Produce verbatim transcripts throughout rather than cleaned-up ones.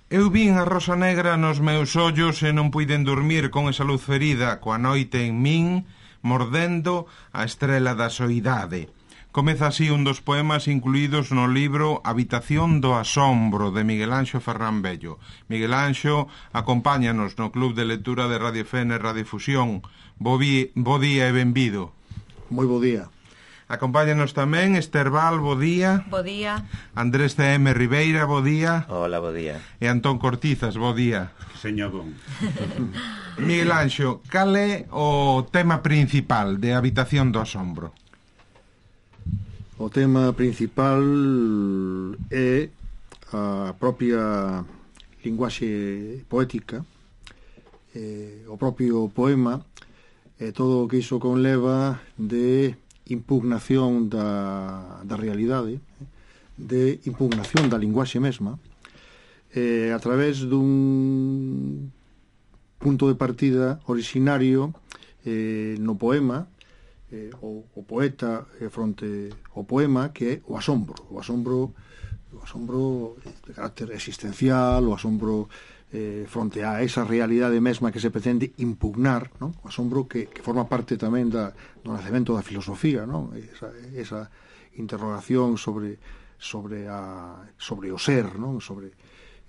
Eu vin a rosa negra nos meus ollos e non puiden dormir con esa luz ferida, coa noite en min, mordendo a estrela da soidade. Comeza así un dos poemas incluídos no libro Habitación do asombro, de Miguel Anxo Ferrán Bello. Miguel Anxo acompáñanos no Club de Lectura de Radio F N Radio Fusión. Bo, vi, bo día e benvido. Moi bo día. Acompáñanos tamén Esther Val, bo día. Bo día. Andrés C M Ribeira, bo día. Hola, bo día. E Antón Cortizas, bo día. Señor Bon. Miguel Anxo, cal é o tema principal de Habitación do asombro? O tema principal é a propia linguaxe poética, eh, o propio poema, e todo o que iso conleva de impugnación da, da realidade, de impugnación da linguaxe mesma, eh, a través dun punto de partida originario eh, no poema, eh, o, o poeta eh, fronte ao poema, que é o asombro, o asombro, o asombro de carácter existencial, o asombro eh, fronte a esa realidade mesma que se pretende impugnar, ¿no? O asombro que, que forma parte tamén da, do nacemento da filosofía, ¿no? Esa, esa interrogación sobre sobre a sobre o ser, ¿no? Sobre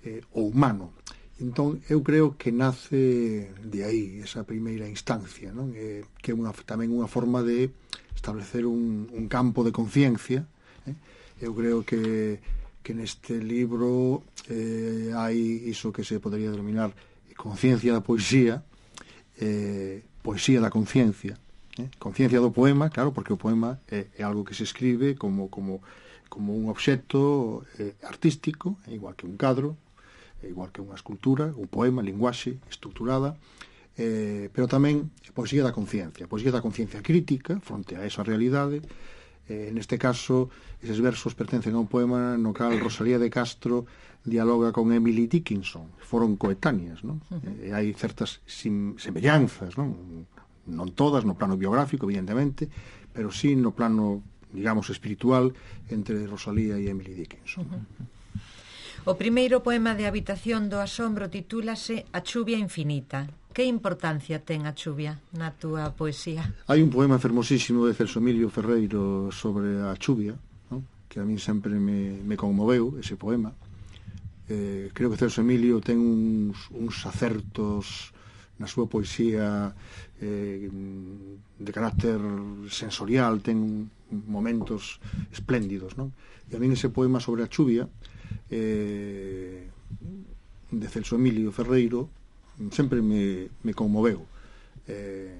eh, o humano. Entón, eu creo que nace de aí esa primeira instancia, ¿no? Eh, que é unha, tamén unha forma de establecer un, un campo de conciencia. Eh? Eu creo que que neste libro eh, hai iso que se podería denominar conciencia da poesía, eh, poesía da conciencia, eh? Conciencia do poema, claro, porque o poema é, é algo que se escribe como, como, como un obxecto eh, artístico, igual que un cadro, igual que unha escultura, un poema, linguaxe estructurada, eh, pero tamén poesía da conciencia, poesía da conciencia crítica fronte a esa realidade. Eh, neste caso, eses versos pertencen a un poema no cal Rosalía de Castro dialoga con Emily Dickinson, foron coetáneas, non? Uh-huh. E hai certas sim, semellanzas, non? Non todas no plano biográfico, evidentemente, pero sí no plano, digamos, espiritual entre Rosalía e Emily Dickinson. Uh-huh. O primeiro poema de Habitación do asombro titúlase A chuvia infinita. Que importancia ten a chuvia na túa poesía? Hai un poema fermosísimo de Celso Emilio Ferreiro sobre a chuvia, ¿no? Que a min sempre me, me conmoveu ese poema. Eh, creo que Celso Emilio ten uns, uns acertos na súa poesía eh, de carácter sensorial, ten momentos espléndidos, ¿no? E a min ese poema sobre a chuvia eh, de Celso Emilio Ferreiro sempre me, me conmoveu. Eh,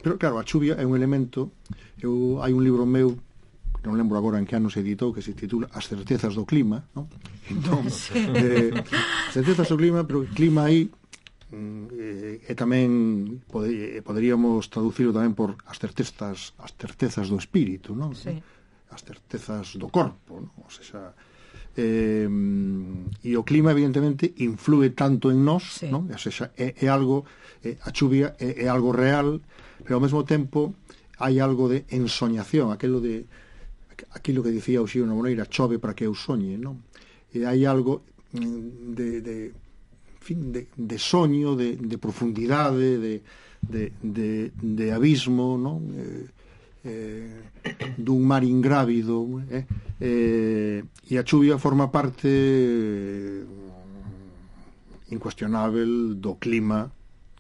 pero claro, a chuvia é un elemento. Eu, hai un libro meu, non lembro agora en que ano se editou, que se titula As certezas do clima, ¿no? Entón, sí. eh, certezas do clima, pero o clima aí eh, é tamén pode, poderíamos traducirlo tamén por as certezas, as certezas do espírito, ¿no? Sí. As certezas do corpo, ¿no? O sea, Eh, e o clima evidentemente influe tanto en nós, sí. ¿No? O sea, é, é algo é, a chuvia é, é algo real, pero ao mesmo tempo hai algo de ensoñación, aquilo de aquilo que dicía Uxío Moreira, chove para que eu soñe, ¿no? E hai algo de, de en fin, de, de soño, de, de profundidade, de, de, de, de abismo, ¿no? Eh, eh, dun mar ingrávido, eh, eh, e a chuvia forma parte eh, incuestionável do clima,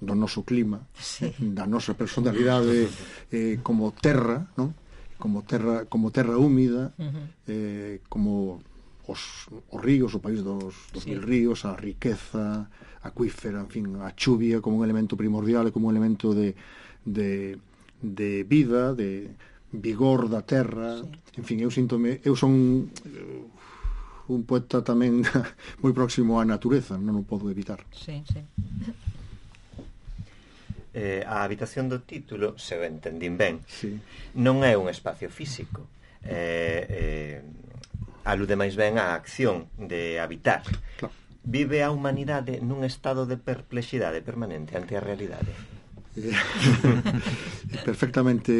do noso clima, sí. Da nosa personalidade eh, como terra, ¿no? Como terra, como terra húmida, uh-huh. eh, como os, os ríos, o país dos, dos sí. mil ríos, a riqueza acuífera, en fin, a chuvia como un elemento primordial e como un elemento de, de de vida, de vigor da terra, sí. En fin, eu síntome, eu son uh, un poeta tamén moi próximo á natureza, non o podo evitar. Sí, sí. Eh, a habitación do título, se o entendín ben, sí. Non é un espacio físico, eh, eh, alude máis ben á acción de habitar. Claro. Vive a humanidade nun estado de perplexidade permanente ante a realidade? eh, perfectamente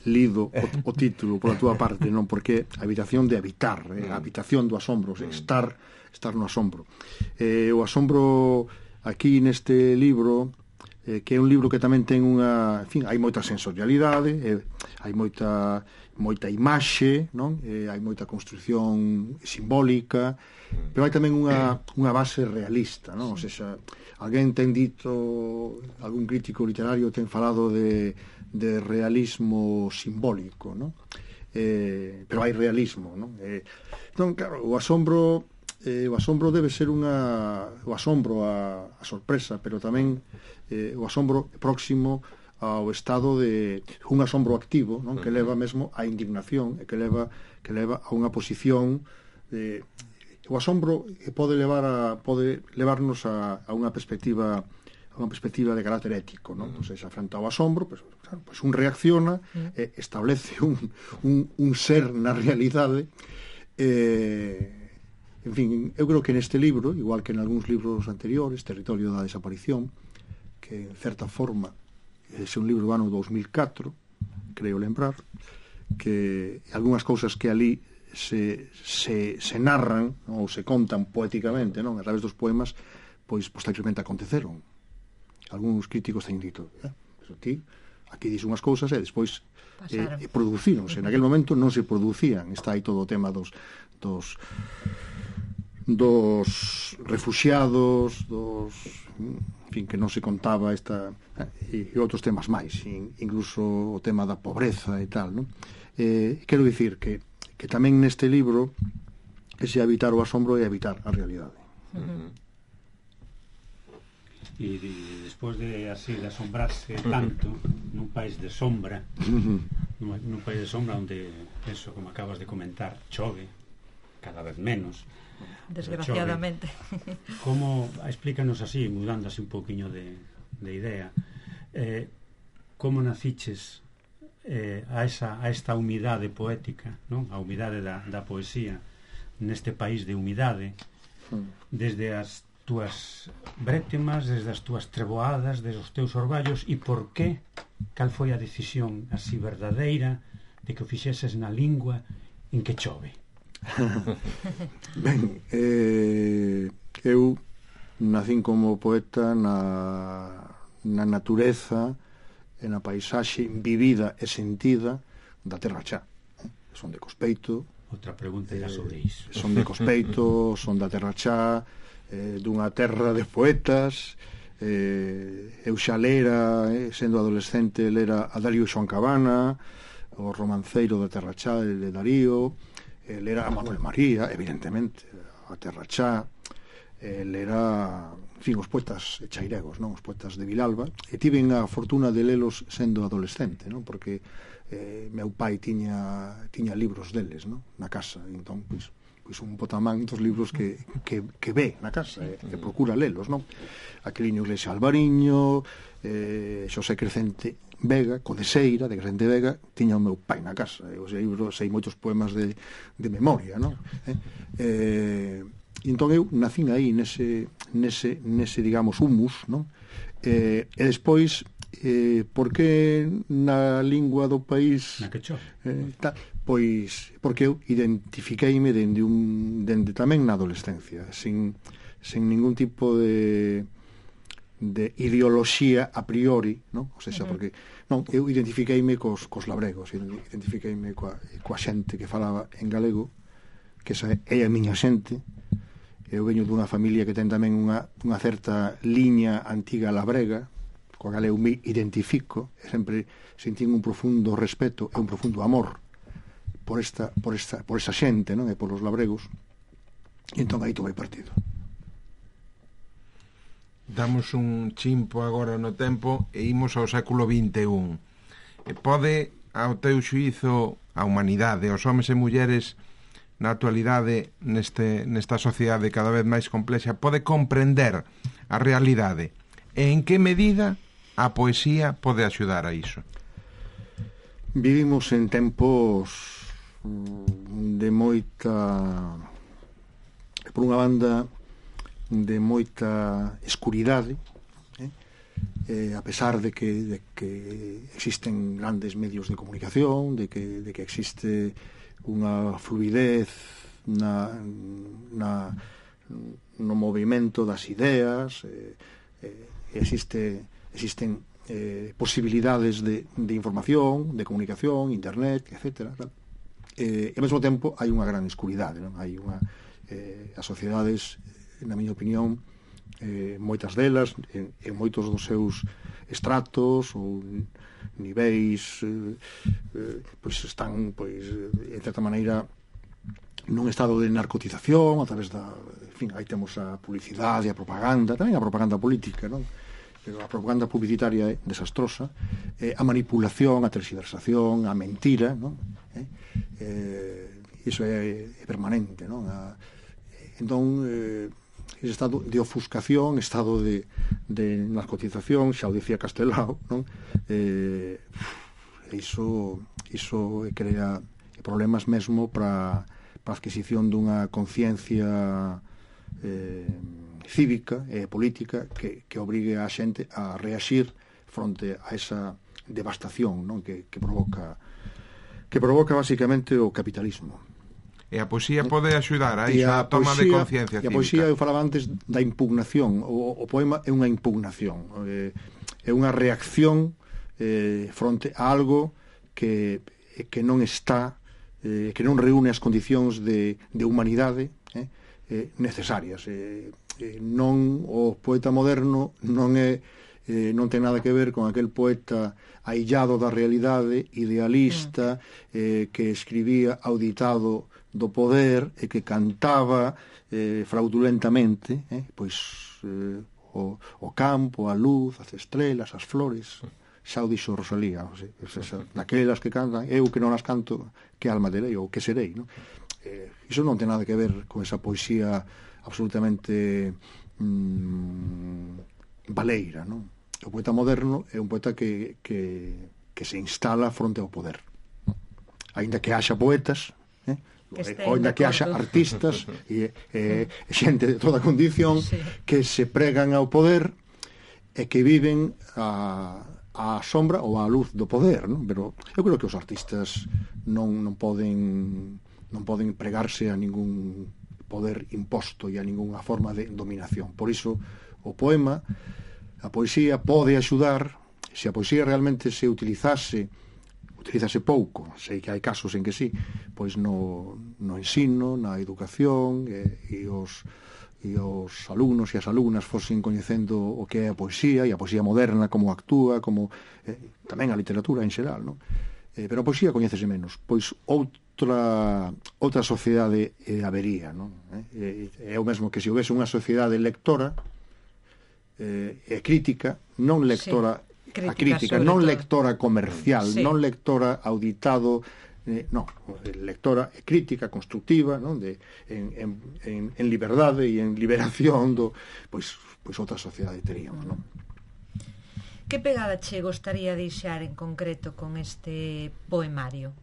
lido o, o título pola túa parte, non? Porque a habitación de habitar, eh, a habitación do asombro, estar, estar no asombro. Eh, o asombro aquí neste libro, eh, que é un libro que tamén ten unha, en fin, hai moita sensorialidade, eh, hai moita moita imaxe, non? Eh, hai moita construción simbólica, pero hai tamén unha, unha base realista, non? O sea, alguén ten dito, algún crítico literario ten falado de, de realismo simbólico, non? Eh, pero hai realismo, non? Eh, non, claro, o asombro eh, o asombro debe ser unha o asombro a, a sorpresa, pero tamén eh, o asombro próximo ao estado de un asombro activo, non? Que leva mesmo á indignación e que leva que leva a unha posición de o asombro pode levar a pode levarnos a, a unha perspectiva a unha perspectiva de carácter ético, non? Pois pues, frente ao asombro, pues, claro, pues un reacciona e establece un, un, un ser na realidade. Eh, en fin, eu creo que neste libro, igual que en algúns libros anteriores, Territorio da Desaparición, que en certa forma ese é un libro do ano dous mil catro, creo lembrar, que algunhas cousas que ali se, se, se narran, non? Ou se contan poéticamente, non? A través dos poemas, pois posteriormente aconteceron. Algúns críticos teñen dito, eh? Pero ti, aquí dis unhas cousas e despois eh, producíronse. En aquel momento non se producían. Está aí todo o tema dos dos dos refuxiados, dos, en fin, que non se contaba esta e, e outros temas máis, incluso o tema da pobreza e tal, non? Eh, quero dicir que, que tamén neste libro ese habitar o asombro é habitar a realidade. Uh-huh. E, e despois de así de asombrarse tanto nun país de sombra, uh-huh. nun, nun país de sombra onde, eso, como acabas de comentar, chove cada vez menos, desgraciadamente. Como, explícanos así, mudando así un pouquiño de, de idea, eh, como naciches eh, a, esa, a esta humidade poética, non? A humidade da, da poesía neste país de humidade, desde as túas brétemas, desde as túas treboadas, desde os teus orballos, e por que, cal foi a decisión así verdadeira de que o fixeses na lingua en que chove? Ben, eh, eu nacín como poeta na, na natureza e na paisaxe vivida e sentida da terra xa, eh? Son de Cospeito. Outra pregunta era sobre iso. Eh, son de Cospeito, son da terra xa, eh, dunha terra de poetas. eh, eu xa lera, eh, sendo adolescente, lera a Darío Xoan Cabana, o romanceiro da terra xa de Darío. El era Manuel María, evidentemente, a terra xa. El era, en fin, os poetas chairegos, non? Os poetas de Vilalba. E tiven a fortuna de lelos sendo adolescente, non? Porque eh, meu pai tiña tiña libros deles, non? Na casa. Entón, pois, pois un botamán dos libros que, que, que ve na casa, eh, que procura lelos, non? Aqueliño Iglesia Alvariño, eh, Xosé Crecente Vega, Codeseira, de Crecente Vega, tiña o meu pai na casa. Eu sei, sei moitos poemas de, de memoria, non? Eh, eh, entón eu nacín aí nese, nese, nese digamos, humus, non? Eh, e despois, eh, por que na lingua do país... Na que chove. Eh, ta, pois, porque eu identifiqueime dende, un, dende tamén na adolescencia, sin, sin ningún tipo de... de ideoloxía a priori, non? O sea, uh-huh. Porque non, eu identifiqueime cos, cos labregos, identifiqueime coa, coa xente que falaba en galego, que esa é a miña xente. Eu veño dunha familia que ten tamén unha, unha certa liña antiga labrega, coa cal eu me identifico, e sempre sentín un profundo respeto e un profundo amor por esta, por esta, por esa xente, non? E por os labregos. E entón aí tomei partido. Damos un chimpo agora no tempo e imos ao século vinte e un. E pode, ao teu xuízo, a humanidade, os homes e mulleres na actualidade neste, nesta sociedade cada vez máis complexa, pode comprender a realidade e en que medida a poesía pode axudar a iso? Vivimos en tempos de moita, por unha banda, de moita escuridade, eh? eh, a pesar de que, de que existen grandes medios de comunicación, de que, de que existe unha fluidez na, na, no movimento das ideas, eh, eh, existe, existen eh, posibilidades de, de información, de comunicación, internet, etcétera. Eh, e ao mesmo tempo hai unha gran escuridade, non? Hai unha, eh, as sociedades, na miña opinión, eh, moitas delas, en, en moitos dos seus estratos ou niveis, eh, eh, pois están, pois, en certa maneira, nun estado de narcotización a través da, en fin, aí temos a publicidade, a propaganda, tamén a propaganda política, non? Pero a propaganda publicitaria é desastrosa, eh, a manipulación, a tergiversación, a mentira, non? Eh, eh, iso é, é permanente, non? A, entón, eh, ese estado de ofuscación, estado de, de narcotización, xa o dicía Castelao, non? Eh, iso, iso crea problemas mesmo para a adquisición dunha conciencia eh, cívica e política que, que obrigue a xente a reaxir fronte a esa devastación, non? Que, que provoca que provoca basicamente o capitalismo. E a poesía pode axudar a E iso, a toma de conciencia cívica. E a cívica. poesía, eu falaba antes da impugnación. O, o poema é unha impugnación. Eh, é unha reacción eh, fronte a algo que, que non está, eh, que non reúne as condicións de, de humanidade eh, eh, necesarias. Eh, eh, non, o poeta moderno non é eh, non ten nada que ver con aquel poeta aillado da realidade, idealista, eh, que escribía auditado do poder e que cantaba eh, fraudulentamente, eh, pois eh, o, o campo, a luz, as estrelas, as flores. Xa o dixo Rosalía, o sea, esa, daquelas que cantan, eu que non as canto, que alma terei ou que serei, non? Eh, iso non ten nada que ver con esa poesía absolutamente mm, baleira, non? O poeta moderno é un poeta que, que, que se instala fronte ao poder, non? Ainda que haxa poetas, eh? Ainda que haxa artistas e, e xente de toda condición, sí, que se pregan ao poder e que viven a, a sombra ou a luz do poder, non? Pero eu creo que os artistas non, non poden non poden pregarse a ningún poder imposto e a ninguna forma de dominación. Por iso o poema, a poesía pode axudar, se a poesía realmente se utilizase utilizase pouco, sei que hai casos en que sí, pois no, no ensino, na educación, e, e os e os alumnos e as alumnas fosen coñecendo o que é a poesía, e a poesía moderna, como actúa, como eh, tamén a literatura en xeral, non? Eh, pero a poesía coñécese menos, pois outra outra sociedade eh, habería, non? Eh, é o mesmo que se houvese unha sociedade lectora eh, e crítica, non lectora, sí, crítica, a crítica, non todo, lectora comercial, sí, non lectora auditado, eh, non, lectora crítica, constructiva, non? De, en, en, en, en liberdade e en liberación do, pois, pois outra sociedade teríamos, non? Que pegada che gostaría deixar en concreto con este poemario?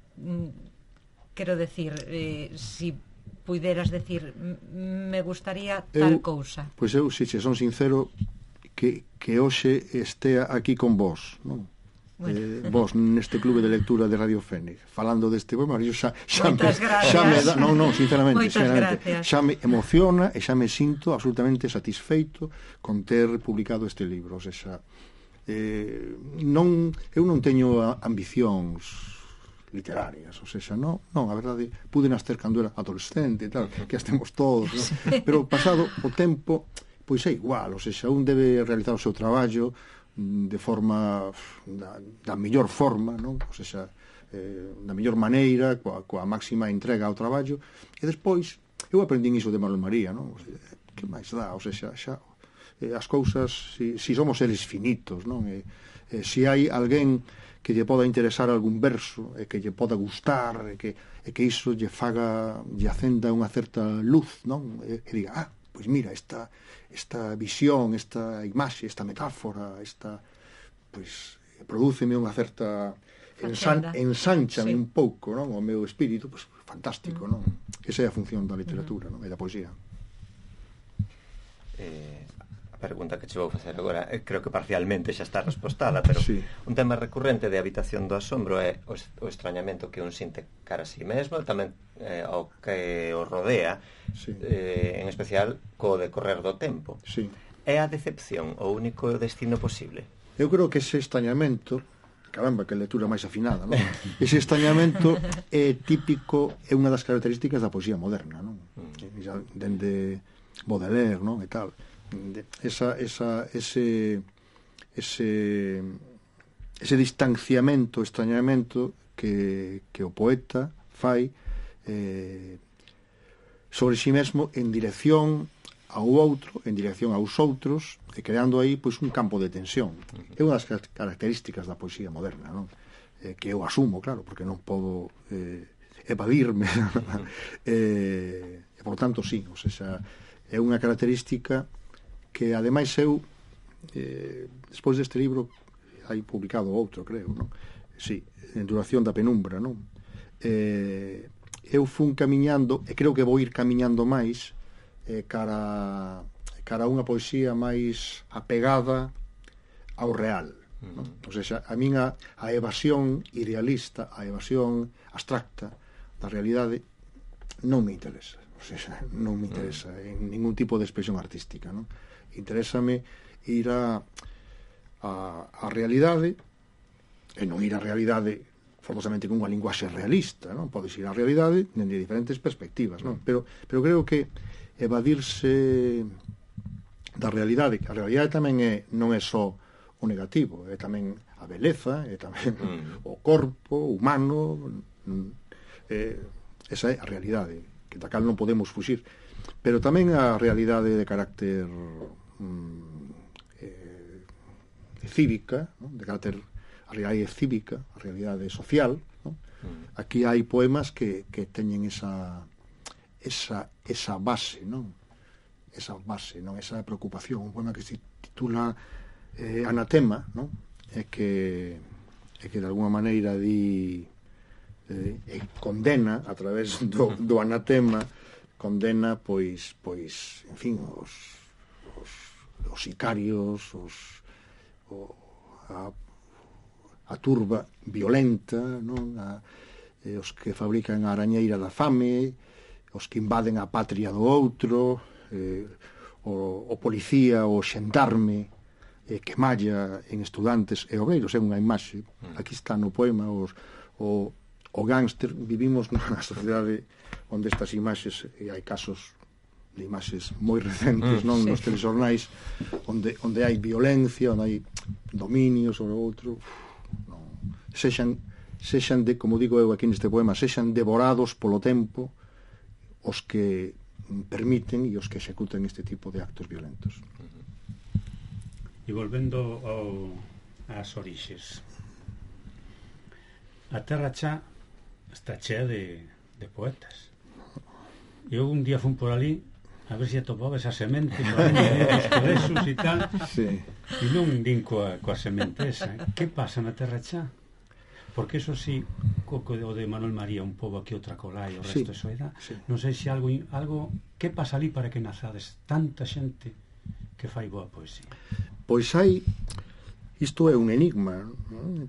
Quero decir, eh, si puideras decir, me gustaría tal eu, cousa. Pois eu, se son sincero, que, que hoxe estea aquí con vos, non? Bueno. Eh, vos neste clube de lectura de Radio Fénix falando deste poemario xa, xa, me, xa me da, non, non, sinceramente, sinceramente xa me emociona e xa me sinto absolutamente satisfeito con ter publicado este libro. O sea, eh, non, eu non teño ambicións literarias, o sea, non, non, a verdade, pude nascer cando era adolescente e tal, que as temos todos, non? Pero pasado o tempo, pois é igual, o sea, un debe realizar o seu traballo de forma da, da mellor forma, non? O sea, eh, da mellor maneira, coa, coa máxima entrega ao traballo, e despois eu aprendín iso de Manuel María, non? O sea, que máis dá, o sea, xa, xa eh, as cousas, si, si somos seres finitos, non? E, eh, si hai alguén que lle poda interesar algún verso e que lle poda gustar e que, e que iso lle faga, lle acenda unha certa luz, non? E, e diga, ah, pois mira, esta esta visión, esta imaxe, esta metáfora, esta, pois, prodúceme unha certa ensan, ensanchame, sí, un pouco, non? O meu espírito, pois, fantástico, non? Esa é a función da literatura, non? E da poesía. Eh, a pregunta que che vou facer agora, eh, creo que parcialmente xa está respostada, pero sí. Un tema recurrente de Habitación do asombro é o, o extrañamento que un sinte cara a si mesmo, tamén eh, ao que o rodea, sí. eh, en especial co decorrer do tempo. Sí. É a decepción o único destino posible? Eu creo que ese extrañamento, caramba, que lectura máis afinada, non? Ese extrañamento é típico, é unha das características da poesía moderna, non? Mm. Dende Baudelaire, non? E tal. Esa, esa, ese, ese, ese distanciamento, extrañamento que, que o poeta fai eh, sobre si mesmo en dirección ao outro, en dirección aos outros, e creando aí pois un campo de tensión. É unha das características da poesía moderna, non? Eh, que eu asumo, claro, porque non podo eh, evadirme. eh, e, por tanto, sí, o sea, é unha característica que, ademais, eu, eh, despois deste libro, hai publicado outro, creo, non? Sí, en Duración da penumbra, non? Eh, eu fun camiñando, e creo que vou ir camiñando máis, eh, cara, cara a unha poesía máis apegada ao real, non? O sea, a min a, a evasión idealista, a evasión abstracta da realidade non me interesa. O sea, non me interesa en ningún tipo de expresión artística, non? Interésame ir a, a, a realidade, e non ir a realidade forzosamente con unha linguaxe realista, non? Podes ir a realidade dende diferentes perspectivas, non? Pero, pero creo que evadirse da realidade, que a realidade tamén é, non é só o negativo, é tamén a beleza, é tamén mm. o corpo humano, é, esa é a realidade, que da cal non podemos fuxir, pero tamén a realidade de carácter eh, cívica, ¿no? De carácter, a realidade cívica, a realidade social, ¿no? Mm. Aquí hai poemas que, que teñen esa esa, esa base, non? Esa base, non? Esa preocupación. Un poema que se titula eh, Anatema, non? É que, é que de alguna maneira di eh, e condena a través do, do anatema, condena pois, pois en fin, os os, os sicarios, os o, a, a turba violenta, non? A, eh, os que fabrican a arañeira da fame, os que invaden a patria do outro, eh, o, o policía, o xendarme eh, que malla en estudantes e obreiros, é unha imaxe, aquí está no poema, os, o, o gángster. Vivimos nunha sociedade onde estas imaxes, e hai casos de imaxes moi recentes, non, sí, nos telexornais, onde, onde hai violencia, onde hai dominio sobre o outro, non, sexan, sexan de, como digo eu aquí neste poema, sexan devorados polo tempo os que permiten e os que executan este tipo de actos violentos. E volvendo ao, ás orixes, a terra xa está chea de, de poetas. Eu un día fun por ali a ver se atopaba esa semente os colesos e tal, sí. E non din coa, coa semente esa. Que pasa na terra xa? Porque eso sí, co o de Manuel María, un pobo aquí outra colá e o resto, sí, eso era, sí. Non sei se algo, algo que pasa ali para que nazades tanta xente que fai boa poesía. Pois hai, isto é un enigma, non?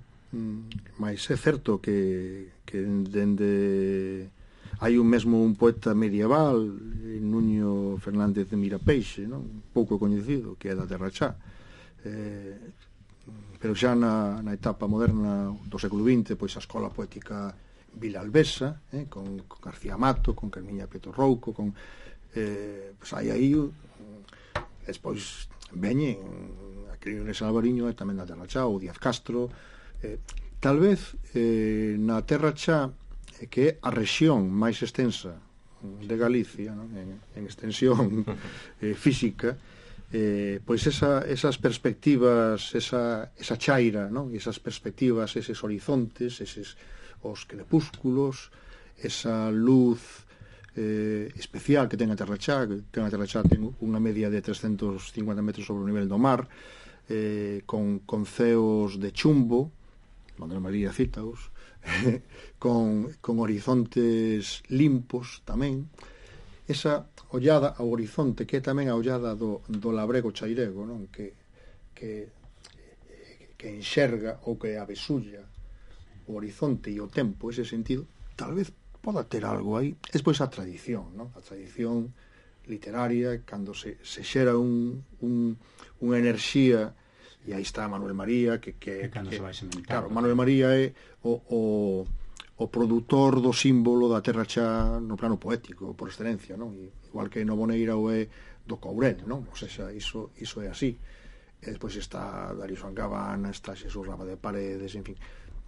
Mas é certo que, que dende hai un mesmo un poeta medieval, Nuño Fernández de Mirapeixe, non? Un pouco coñecido, que é da terra xa, eh, pero xa na, na etapa moderna do século vinte, pois a escola poética vilalbesa, eh, con, con García Mato, con Carmiña Prieto Rouco, con eh, pois hai aí despois veñen a Quirines Alvariño e tamén na terra xa, o Díaz Castro, eh, tal vez eh, na terra xa, eh, que é a rexión máis extensa de Galicia, non? En, en extensión eh, física, eh, pois esa, esas perspectivas, esa, esa chaira, non? Esas perspectivas, eses horizontes, eses os crepúsculos, esa luz eh, especial que ten a Terra Xa, que ten a Terra Xa ten unha media de trescentos cincuenta metros sobre o nivel do mar, eh, con, con ceos de chumbo, Manuel María cítaos, con, con horizontes limpos tamén, esa ollada ao horizonte, que é tamén a ollada do, do labrego chairego, non? Que, que, que enxerga ou que abesulla o horizonte e o tempo, ese sentido, tal vez poda ter algo aí. Despois a tradición, non? A tradición literaria, cando se, se xera un, un, unha enerxía, e aí está Manuel María, que, que, que, que se vai sementando. Claro, Manuel María é o, o, o produtor do símbolo da terra xa no plano poético, por excelencia, non? Igual que Novoneira o é do Courel, non? O sea, iso, iso é así. E despois está Darío Sangabana, está Xesús Raba de Paredes, en fin.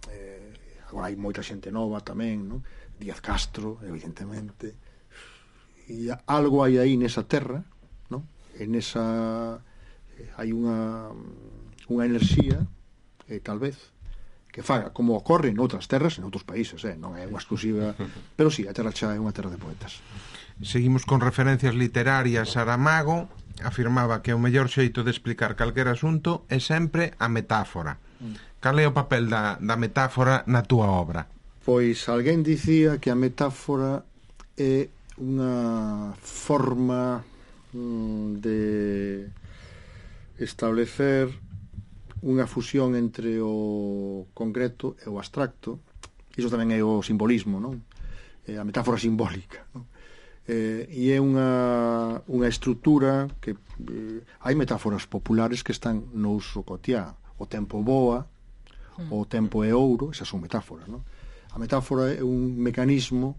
Eh, agora hai moita xente nova tamén, non? Díaz Castro, evidentemente. E algo hai aí nesa terra, non? En esa hai unha unha enerxía, eh, tal vez, que faga como ocorre en outras terras, en outros países, eh? Non é unha exclusiva, pero sí, a terra xa é unha terra de poetas. Seguimos con referencias literarias. Saramago afirmaba que o mellor xeito de explicar calquer asunto é sempre a metáfora. Cal é o papel da, da metáfora na túa obra? Pois alguén dicía que a metáfora é unha forma mm, de establecer unha fusión entre o concreto e o abstracto. Iso tamén é o simbolismo, non? É a metáfora simbólica, non? Eh, e é unha, unha estrutura que eh, hai metáforas populares que están no uso cotiá. O tempo voa, o tempo é ouro, esas son metáforas, non? A metáfora é un mecanismo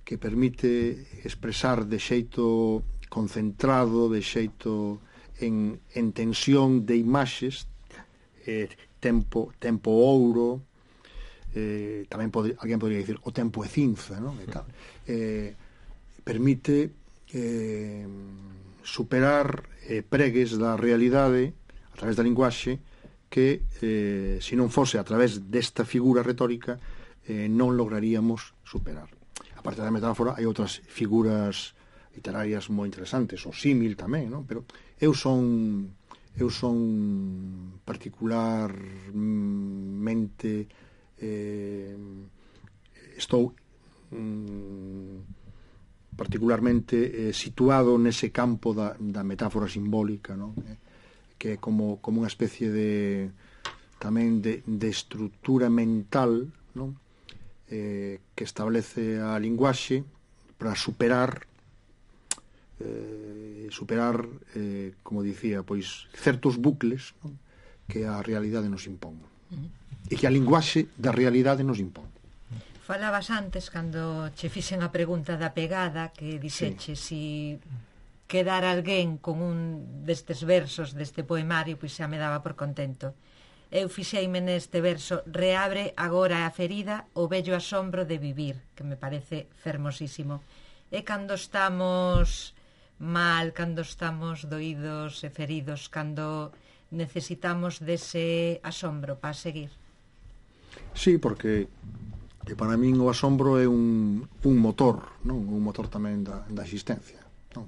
que permite expresar de xeito concentrado, de xeito en, en tensión de imaxes, eh, tempo, tempo ouro, eh, tamén pode, alguén podría dicir o tempo é cinza, non? E tal. Eh, permite eh, superar eh, pregues da realidade a través da linguaxe que, eh, se non fose a través desta figura retórica, eh, non lograríamos superar. A parte da metáfora, hai outras figuras literarias moi interesantes, o símil tamén, non? Pero eu son eu son particularmente eh, estou mm, particularmente eh, situado nese campo da, da metáfora simbólica, non? Eh, que é como, como unha especie de tamén de, de estrutura mental, non? Eh, que establece a linguaxe para superar eh, superar eh, como dicía, pois certos bucles, non? Que a realidade nos impón, uh-huh. E que a linguaxe da realidade nos impón. Falabas antes, cando che fixen a pregunta da pegada, que dixeche sí. Si quedar alguén con un destes versos deste poemario, pois xa me daba por contento. Eu fixeime neste verso: reabre agora a ferida o bello asombro de vivir, que me parece fermosísimo. E cando estamos mal, cando estamos doídos e feridos, cando necesitamos dese asombro para seguir. Sí, porque que para min o asombro é un, un motor, non? Un motor tamén da, da existencia, non?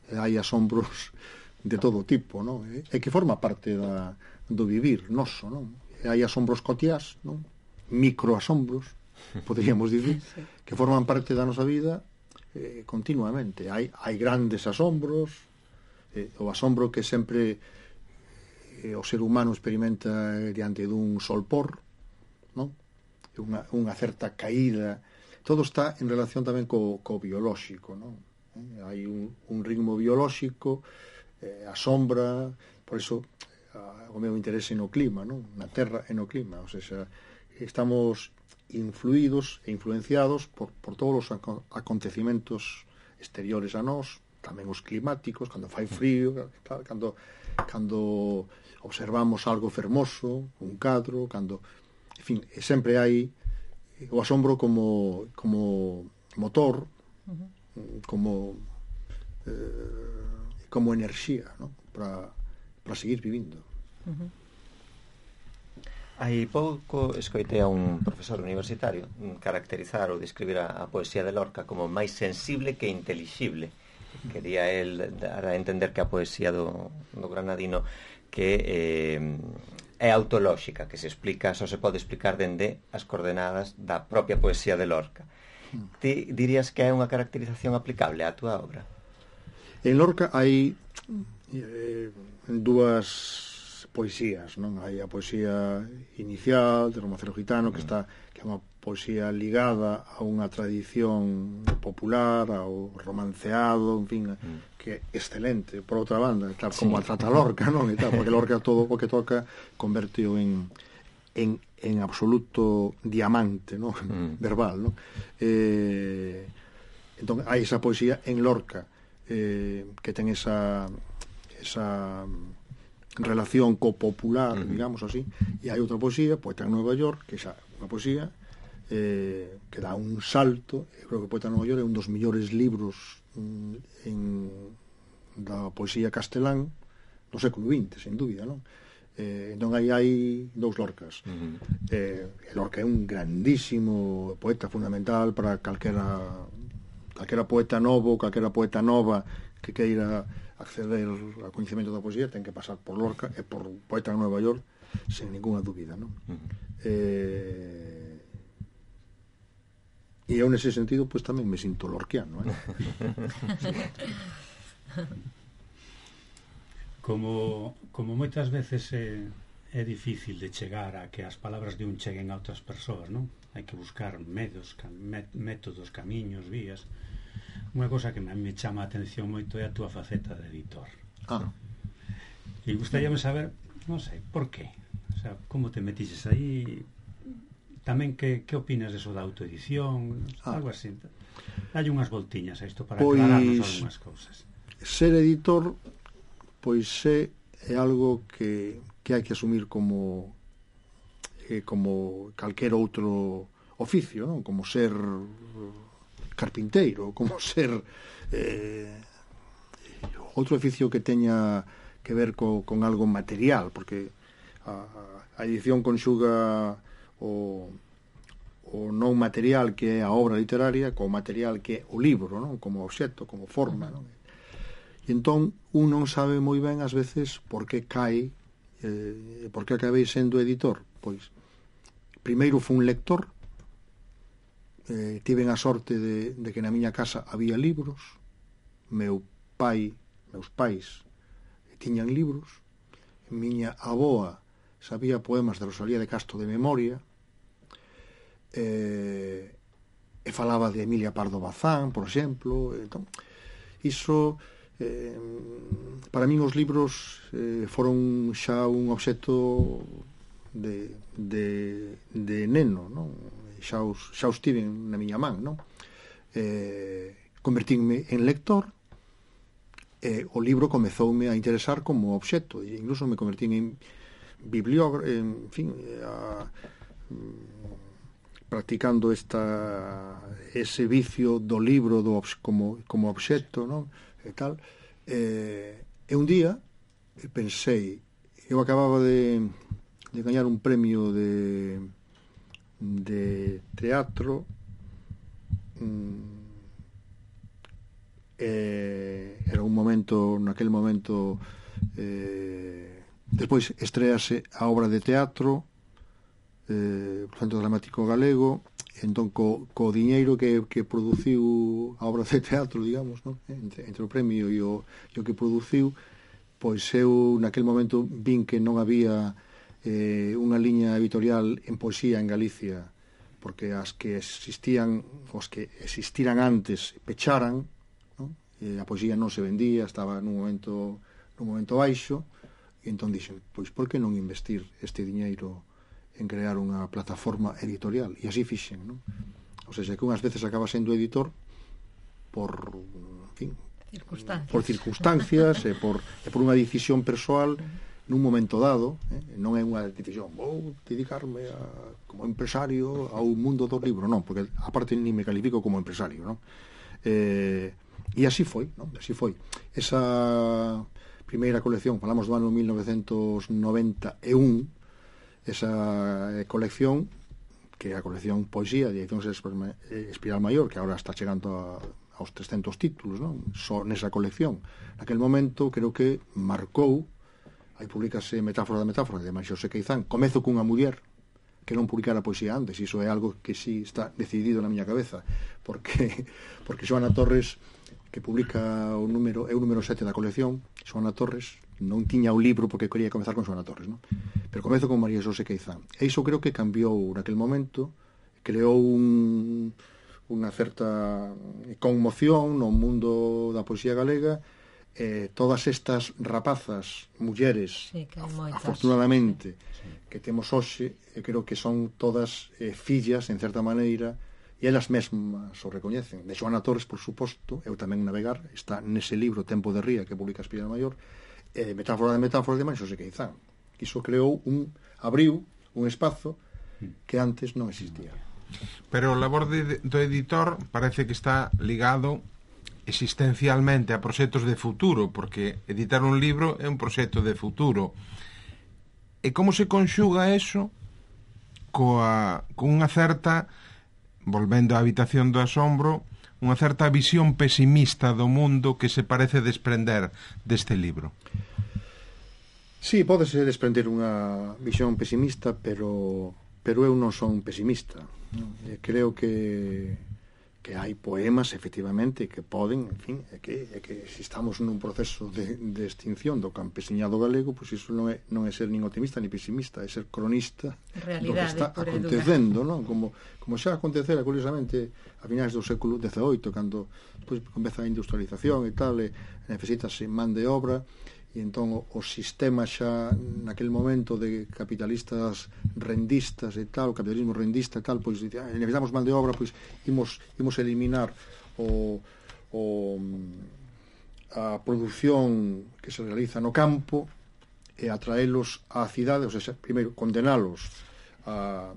E hai asombros de todo tipo, non? E, e que forma parte da, do vivir noso, non? E hai asombros cotiás, non? Microasombros, poderíamos dicir, que forman parte da nosa vida eh, continuamente. Hai, hai grandes asombros, eh, o asombro que sempre eh, o ser humano experimenta diante dun solpor, non? Unha, unha certa caída. Todo está en relación tamén co, co biolóxico, non? Eh, hai un, un ritmo biolóxico, eh, a sombra, por iso a, o meu interese no clima, non? Na terra e no clima, o sea, estamos influídos e influenciados por, por todos os acontecimentos exteriores a nós, tamén os climáticos, cando fai frío, cando, cando observamos algo fermoso, un cadro, cando, en fin, sempre hai o asombro como, como motor, uh-huh. como eh, como enerxía, ¿no? para, para seguir vivindo. Uh-huh. Hai pouco escoitei a un profesor universitario caracterizar ou describir a, a poesía de Lorca como máis sensible que intelixible. Quería el dar a entender que a poesía do, do granadino que eh, é autolóxica, que se explica, só se pode explicar dende as coordenadas da propia poesía de Lorca. Ti dirías que é unha caracterización aplicable á túa obra? En Lorca hai eh, dúas poesías, non? Hai a poesía inicial de Romancero Gitano, que está que é unha poesía ligada a unha tradición popular, ao romanceado, en fin, mm. que é excelente, por outra banda, tal como sí. a trata Lorca, non? E tal, porque Lorca todo o que toca converteo en en en absoluto diamante, ¿no? Mm. verbal, ¿no? Eh, entón hai esa poesía en Lorca eh, que ten esa esa relación co popular, mm. digamos así, e hai outra poesía, Poeta en Nueva York, que xa unha poesía eh, que dá un salto. Eu creo que Poeta en Nueva York é un dos millores libros mm, en da poesía castelán do século vinte, sen dúbida, non? Eh, entón aí hai dous Lorcas. Uh-huh. eh, Lorca é un grandísimo poeta, fundamental para calquera calquera poeta novo, calquera poeta nova que queira acceder ao coñecemento da poesía ten que pasar por Lorca e por Poeta en Nueva York sen ninguna dúbida, non? Uh-huh. eh, e eu nese sentido pois tamén me sinto lorquiano, eh? Como, como moitas veces é, é difícil de chegar a que as palabras de un cheguen a outras persoas, non? Hai que buscar medios, métodos, camiños, vías. Unha cosa que me chama a atención moito é a túa faceta de editor. Ah. E gustaríame saber, non sei, por qué? O sea, como te metiches aí? Tamén que, que opinas de eso da autoedición? Ah. Algo así. Hai unhas voltiñas a isto para pois, aclararnos algunhas cousas. Ser editor pois é, é algo que, que hai que asumir como eh, como calquer outro oficio, non? Como ser carpinteiro, como ser eh, outro oficio que teña que ver co, con algo material, porque a, a edición conxuga o, o non material que é a obra literaria co material que é o libro, non? Como obxecto, como forma, non? E entón un non sabe moi ben ás veces por que cae eh, por que acabei sendo editor. Pois primeiro fui un lector, eh, tiven a sorte de, de que na miña casa había libros, meu pai meus pais tiñan libros, miña aboa sabía poemas de Rosalía de Castro de memoria, eh, e falaba de Emilia Pardo Bazán, por exemplo. Entón iso Eh, para min os libros eh, foron xa un obxecto de, de, de neno, non? Xa os, xa os tiven na miña man, non? Eh, convertínme en lector e o libro comezoume a interesar como obxecto, e incluso me convertín en bibliógrafo, en fin, a, practicando esta ese vicio do libro do, como, como obxecto, non? E tal, eh, e un día pensei, eu acababa de, de gañar un premio de de teatro, mm, eh, era un momento, naquel momento eh, despois estrease a obra de teatro eh, por Centro Dramático Galego. Entón, co, co diñeiro que, que produciu a obra de teatro, digamos, non? Entre, entre o premio e o, e o que produciu, pois eu naquel momento vin que non había eh, unha liña editorial en poesía en Galicia, porque as que existían, os que existiran antes pecharan, non? E a poesía non se vendía, estaba nun momento nun momento baixo, e entón dixen, pois por que non investir este diñeiro en crear unha plataforma editorial? E así fixen, non? O sea, que unhas veces acaba sendo editor por, en fin, circunstancias. por circunstancias e por, e por unha decisión persoal nun momento dado, eh? Non é unha decisión, vou dedicarme a, como empresario ao mundo do libro, non, porque aparte ni me califico como empresario, non? Eh, e así foi, non? Así foi. Esa primeira colección, falamos do ano mil novecentos noventa e un, esa colección, que é a colección Poesía de Edicións Espiral Maior, que agora está chegando a, aos trescentos títulos, non? Só nesa colección. Naquel momento creo que marcou, aí publicase Metáfora da Metáfora de Mario Xosé Queizán, Comezo cunha muller, que non publicara poesía antes. Iso é algo que sí está decidido na miña cabeza, porque porque Xoana Torres, que publica o número, é o número sete da colección, Xoana Torres non tiña o libro porque quería comezar con Xoana Torres, non? Pero comezo con María Xosé Queizán. E iso creo que cambiou naquel momento, creou un, unha certa conmoción no mundo da poesía galega. Eh, todas estas rapazas, mulleres, sí, que afortunadamente, sí, que temos hoxe, eu creo que son todas eh, fillas, en certa maneira, e elas mesmas o recoñecen. De Xoana Torres, por suposto, eu tamén navegar, está nese libro Tempo de Ría, que publica Espiral Maior, eh, Metáfora de Metáforas de María Xosé Queizán. Iso creou un, abriu un espazo que antes non existía. Pero o labor de, do editor parece que está ligado existencialmente a proxectos de futuro, porque editar un libro é un proxecto de futuro. E como se conxuga eso coa, con unha certa, volvendo á habitación do asombro, unha certa visión pesimista do mundo que se parece desprender deste libro? Sí, pódese desprender unha visión pesimista, pero pero eu non son pesimista. Creo que que hai poemas, efectivamente, que poden, en fin, é que, é que se estamos nun proceso de, de extinción do campesiñado galego, pois iso non é, non é ser nin optimista ni pesimista, é ser cronista do que está acontecendo, non? Como, como xa acontecera, curiosamente, a finais do século dezaoito, cando pois, comeza a industrialización e tal, e necesitase man de obra, e entón o, o sistema xa naquel momento de capitalistas rendistas e tal, o capitalismo rendista e tal, pois ah, necesitamos man de obra, pois imos, imos eliminar o, o, a produción que se realiza no campo e atraelos á cidade, ou seja, primeiro condenalos a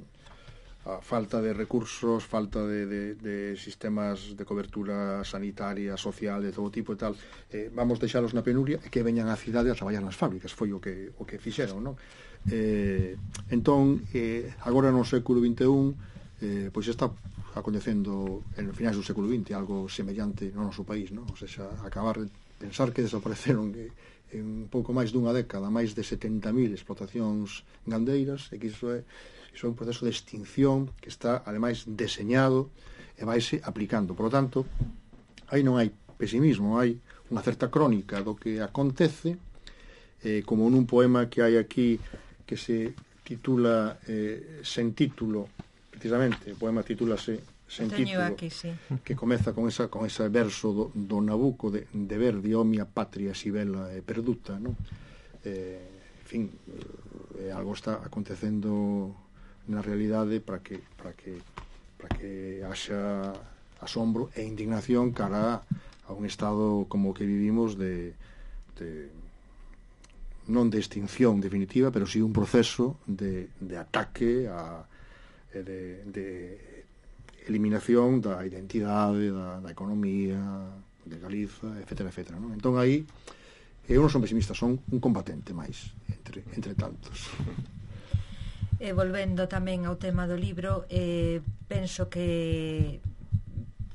a falta de recursos, falta de, de, de sistemas de cobertura sanitaria, social, de todo tipo e tal, eh, vamos deixalos na penuria e que veñan á cidade a traballar nas fábricas, foi o que, o que fixeron, non? Eh, entón, eh, agora no século vinte e un, eh, pois está acontecendo en finais do século vinte algo semellante no noso país, non? Ou seja, acabar de pensar que desapareceron eh, en pouco máis dunha década máis de setenta mil explotacións gandeiras, e que iso é Iso é un proceso de extinción que está, ademais, deseñado e vaise aplicando. Por lo tanto, aí non hai pesimismo, hai unha certa crónica do que acontece, eh, como nun poema que hai aquí que se titula eh, Sen título, precisamente, o poema titúlase Sen título, aquí, sí, que comeza con esa con ese verso do, do Nabucco de, de Verdi, o mia patria si bella e perduta, non? Eh, en fin, eh, algo está acontecendo na realidade para que para que para que haxa asombro e indignación cara a un estado como o que vivimos de, de non de extinción definitiva, pero sí un proceso de, de ataque a, de, de eliminación da identidade, da, da economía de Galiza, etcétera, etcétera, non? Entón aí eu non son pesimista, son un combatente máis entre, entre tantos. E volvendo tamén ao tema do libro, eh, penso que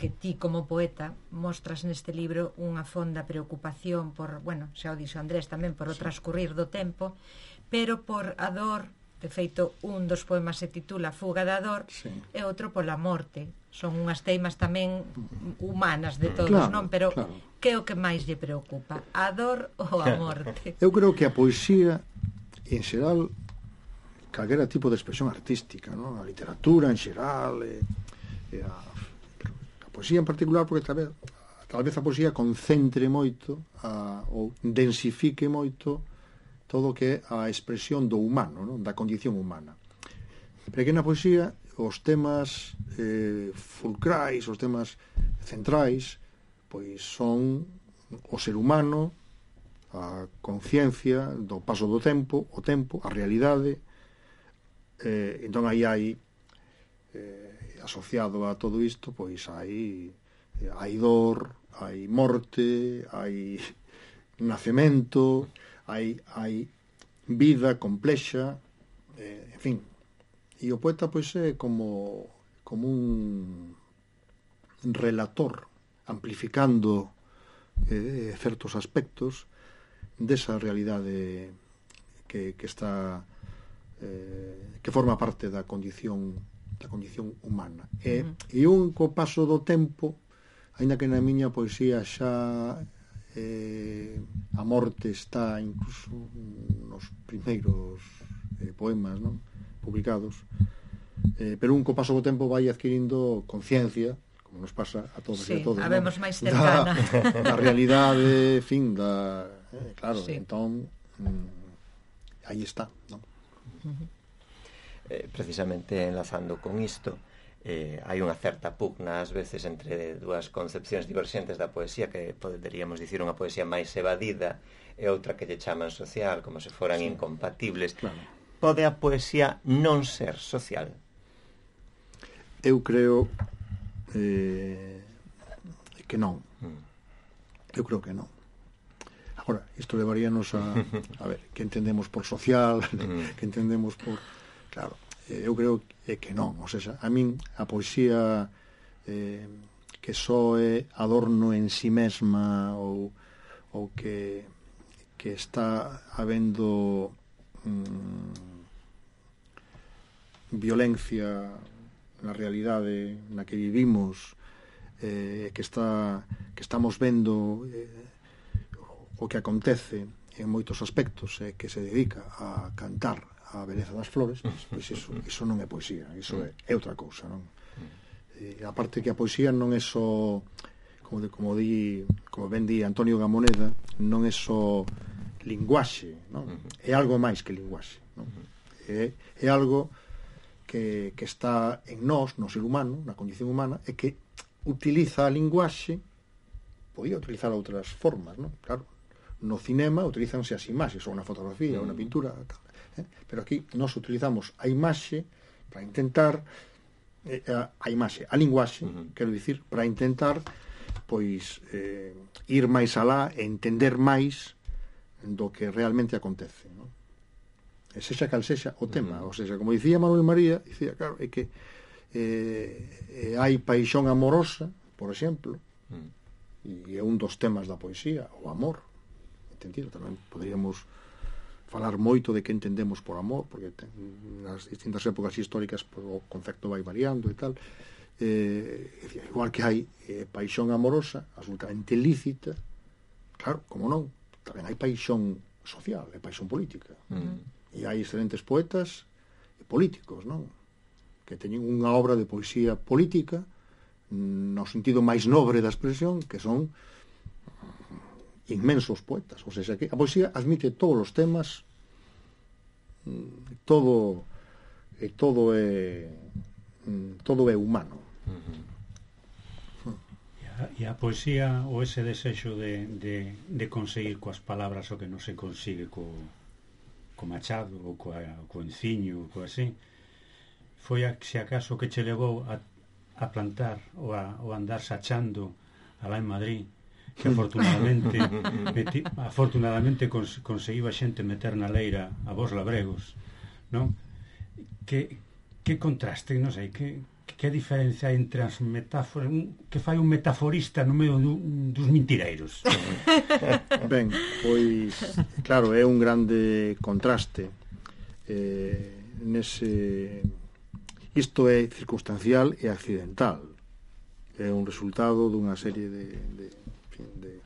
que ti como poeta mostras neste libro unha fonda preocupación por, bueno, xa o dixo Andrés tamén, por o transcurrir do tempo, pero por a dor. De feito, un dos poemas se titula Fuga da dor, sí, e outro pola morte. Son unhas teimas tamén humanas de todos, claro, non? Pero claro, que é o que máis lle preocupa? A dor ou a morte? Eu creo que a poesía, en xeral, calquera tipo de expresión artística, non? A literatura en xeral, e, e a, a poesía en particular, porque tal vez, tal vez a poesía concentre moito a, ou densifique moito todo o que é a expresión do humano, non? Da condición humana. Porque na poesía os temas eh, fulcrais, os temas centrais, pois son o ser humano, a conciencia do paso do tempo, o tempo, a realidade. Eh, entón aí hai eh, asociado a todo isto, pois hai eh, hai dor, hai morte, hai nacemento, hai, hai vida complexa, eh, en fin. E o poeta pois é como como un relator amplificando eh, certos aspectos desa realidade que, que está eh, que forma parte da condición da condición humana. E, uh-huh. e un co paso do tempo, aínda que na miña poesía xa eh, a morte está incluso nos primeiros eh, poemas, non? Publicados, eh, pero un co paso do tempo vai adquirindo conciencia, como nos pasa a todos sí, e a todos, a ¿no? vemos máis cercana da, da realidade, fin, da eh, claro, sí. entón mm, aí está, non? Uh-huh. eh, precisamente enlazando con isto, eh, hai unha certa pugna ás veces entre dúas concepcións diverxentes da poesía, que poderíamos dicir unha poesía máis evadida e outra que lle chaman social, como se foran sí. incompatibles. Claro. Pode a poesía non ser social? Eu creo eh, que non. Mm. Eu creo que non. Agora, isto levaríanos a a ver, que entendemos por social, mm. que entendemos por... Claro, eh, eu creo que non. O sea, a min a poesía eh, que só é adorno en si mesma ou, ou que, que está habendo mm, violencia na realidade na que vivimos, eh, que está que estamos vendo eh, o que acontece en moitos aspectos, eh, que se dedica a cantar a beleza das flores, pois, pois iso, iso non é poesía, iso é, é outra cousa, non? E a parte que a poesía non é só, como de, como di, como ben di Antonio Gamoneda, non é só linguaxe, non? É algo máis que linguaxe, non? É, é algo que, que está en nós, no ser humano, na condición humana, e que utiliza a linguaxe, podía utilizar outras formas, non? Claro, no cinema utilizanse as imaxes, ou na fotografía, ou na pintura, tal. Eh? Pero aquí nós utilizamos a imaxe para intentar eh, a, a imaxe, a linguaxe, uh-huh. quero dicir, para intentar pois eh, ir máis alá e entender máis do que realmente acontece, non? E sexa cal sexa o tema, uh-huh. ou seja, como dicía Manuel María, dicía, claro, é que eh, hai paixón amorosa, por exemplo, uh-huh. e é un dos temas da poesía, o amor, entendido, tamén poderíamos falar moito de que entendemos por amor, porque ten, nas distintas épocas históricas pues, o concepto vai variando e tal, eh, igual que hai eh, paixón amorosa absolutamente lícita, claro, como non, tamén hai paixón social, hai paixón política, mm. e hai excelentes poetas e políticos, non? Que teñen unha obra de poesía política no sentido máis nobre da expresión, que son inmensos poetas, ou seja, que a poesía admite todos os temas, todo e todo é todo é humano. Uh-huh. E, a, e a poesía, ou ese desexo de, de, de conseguir coas palabras o que non se consigue co, co machado ou coa, co enciño ou co así, foi a, se acaso que che levou a, a plantar ou a, ou a andar sachando alá en Madrid, que afortunadamente meti, afortunadamente cons, conseguiu a xente meter na leira a vos labregos, non? Que, que contraste, non sei, que, que diferencia entre as metáforas, que fai un metaforista no medio do, dos mentireiros? Ben, pois claro, é un grande contraste eh, nese, isto é circunstancial e accidental, é un resultado dunha serie de, de de,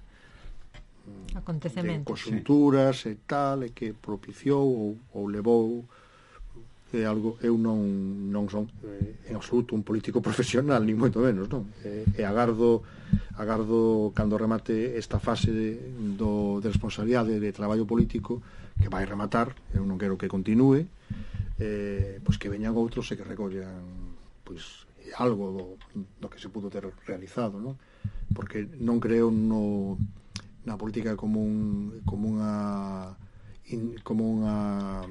de conxunturas e tal, e que propiciou ou, ou levou é algo, eu non non son eh, en absoluto un político profesional, ni moito menos, non? E, e agardo agardo cando remate esta fase de, do, de responsabilidade de traballo político, que vai rematar, eu non quero que continúe, eh, pois que veñan outros e que recollan pois algo do, do que se pudo ter realizado, non? Porque non creo no, na política como un como unha in, como unha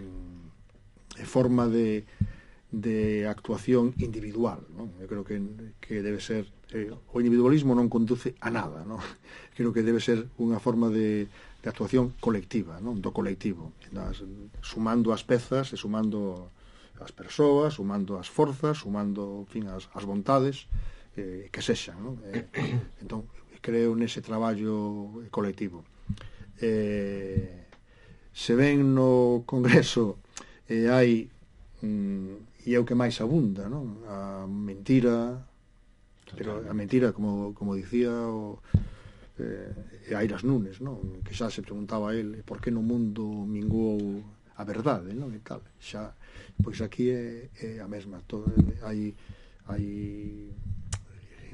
forma de, de actuación individual, non? Eu creo que, que debe ser eh, o individualismo non conduce a nada, non? Creo que debe ser unha forma de, de actuación colectiva, non? Do colectivo, das, sumando as pezas e sumando as persoas, sumando as forzas, sumando, en fin, as, as vontades eh, que sexan, non? Eh, entón, creo nese traballo colectivo. Eh, se ven no Congreso e eh, hai mm, e é o que máis abunda, non? A mentira, pero a mentira, como, como dicía o, eh, Airas Nunes, non? Que xa se preguntaba a ele por que no mundo minguou a verdade, non? E tal, xa, pois aquí é, é a mesma. Todo, hai, hai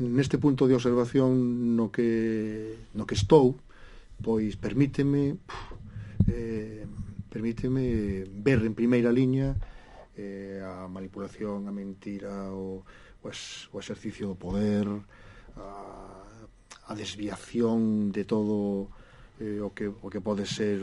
neste punto de observación no que no que estou, pois permíteme puf, eh, permíteme ver en primeira liña eh, a manipulación, a mentira, o, o, es, o exercicio do poder, a, a desviación de todo eh, o, que, o que pode ser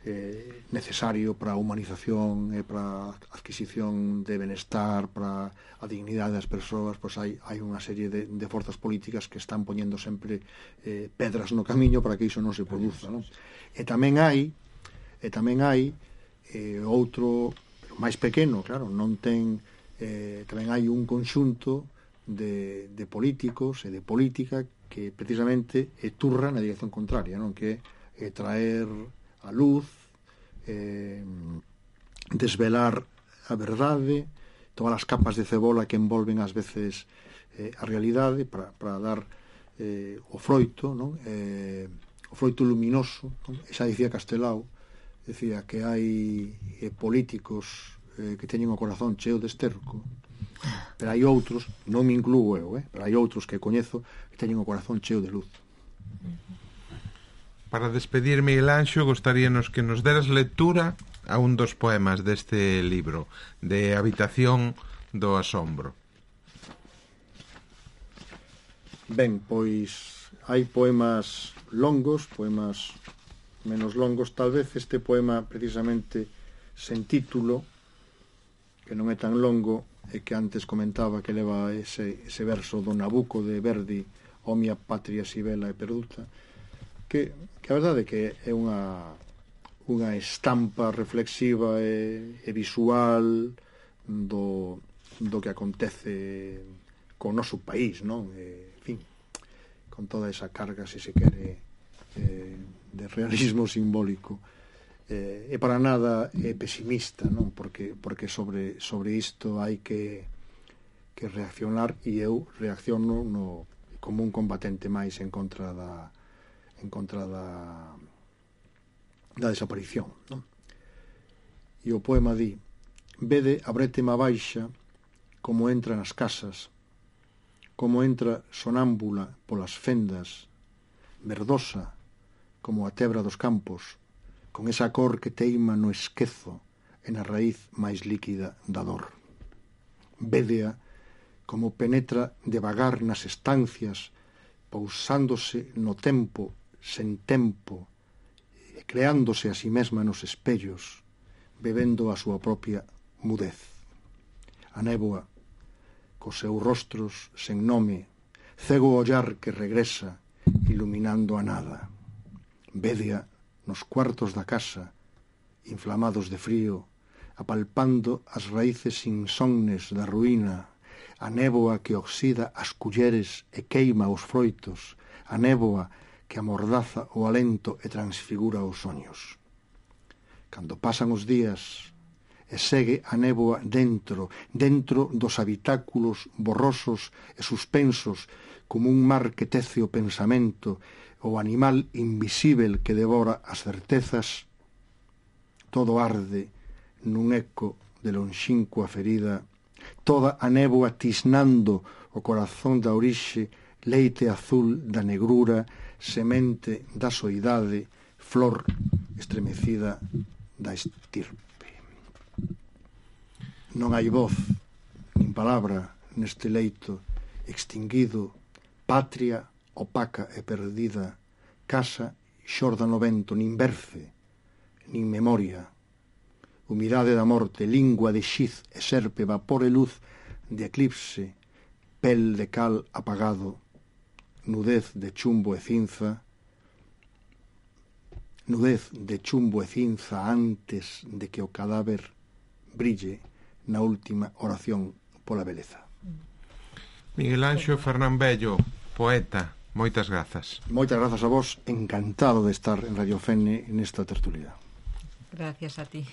eh, necesario para a humanización e para a adquisición de benestar, para a dignidade das persoas. Pois hai, hai unha serie de, de forzas políticas que están poñendo sempre eh, pedras no camiño para que iso non se produza, non? E tamén hai e tamén hai eh, outro, pero máis pequeno, claro, non ten eh, tamén hai un conxunto de, de políticos e de política que precisamente eh, turra na dirección contraria, non? Que é eh, traer a luz, eh, desvelar a verdade, todas as capas de cebola que envolven ás veces eh, a realidade para, para dar eh, o froito, non? Eh, o froito luminoso, non? E xa dicía Castelao, decía que hai eh, políticos eh, que teñen o corazón cheo de esterco, pero hai outros, non me incluo eu, eh, pero hai outros que coñezo que teñen o corazón cheo de luz. Para despedir, Miguel Anxo, gostaríanos que nos deras lectura a un dos poemas deste libro, de Habitación do Asombro. Ben, pois hai poemas longos, poemas menos longos, tal vez este poema precisamente sen título, que non é tan longo, e que antes comentaba que leva ese, ese verso do Nabucco de Verdi, O mia patria si bela e perduta, que, que a verdade é que é unha unha estampa reflexiva e, e visual do, do que acontece co noso país, non? E, en fin, con toda esa carga, se se quere, eh, de realismo simbólico. Eh, e para nada é pesimista, non? Porque, porque sobre, sobre isto hai que, que reaccionar, e eu reacciono no, como un combatente máis en contra da en contra da da desaparición, non? E o poema di: vede a brétema baixa como entra nas casas, como entra sonámbula polas fendas, verdosa como a tebra dos campos, con esa cor que teima no esquezo e na raíz máis líquida da dor. Védea como penetra devagar nas estancias, pousándose no tempo sen tempo, e creándose a si mesma nos espellos, bebendo a súa propia mudez. A néboa, cos seus rostros sen nome, cego ollar que regresa, iluminando a nada. Védea nos cuartos da casa, inflamados de frío, apalpando as raíces insomnes da ruína, a néboa que oxida as culleres e queima os froitos, a néboa que amordaza o alento e transfigura os soños. Cando pasan os días e segue a néboa dentro, dentro dos habitáculos borrosos e suspensos, como un mar que tece o pensamento, o animal invisível que devora as certezas, todo arde nun eco de lonxínqua ferida, toda a néboa tisnando o corazón da orixe, leite azul da negrura, semente da soidade, flor estremecida da estirpe. Non hai voz, nin palabra neste leito extinguido, patria opaca e perdida, casa xorda no vento, nin berce, nin memoria, humidade da morte, lingua de xiz e serpe, vapor e luz de eclipse, pel de cal apagado, nudez de chumbo e cinza, nudez de chumbo e cinza antes de que o cadáver brille na última oración pola beleza. Miguel Anxo Fernán Bello, poeta, moitas grazas. Moitas grazas a vos, encantado de estar en Radio Fene nesta tertulia. Gracias a ti.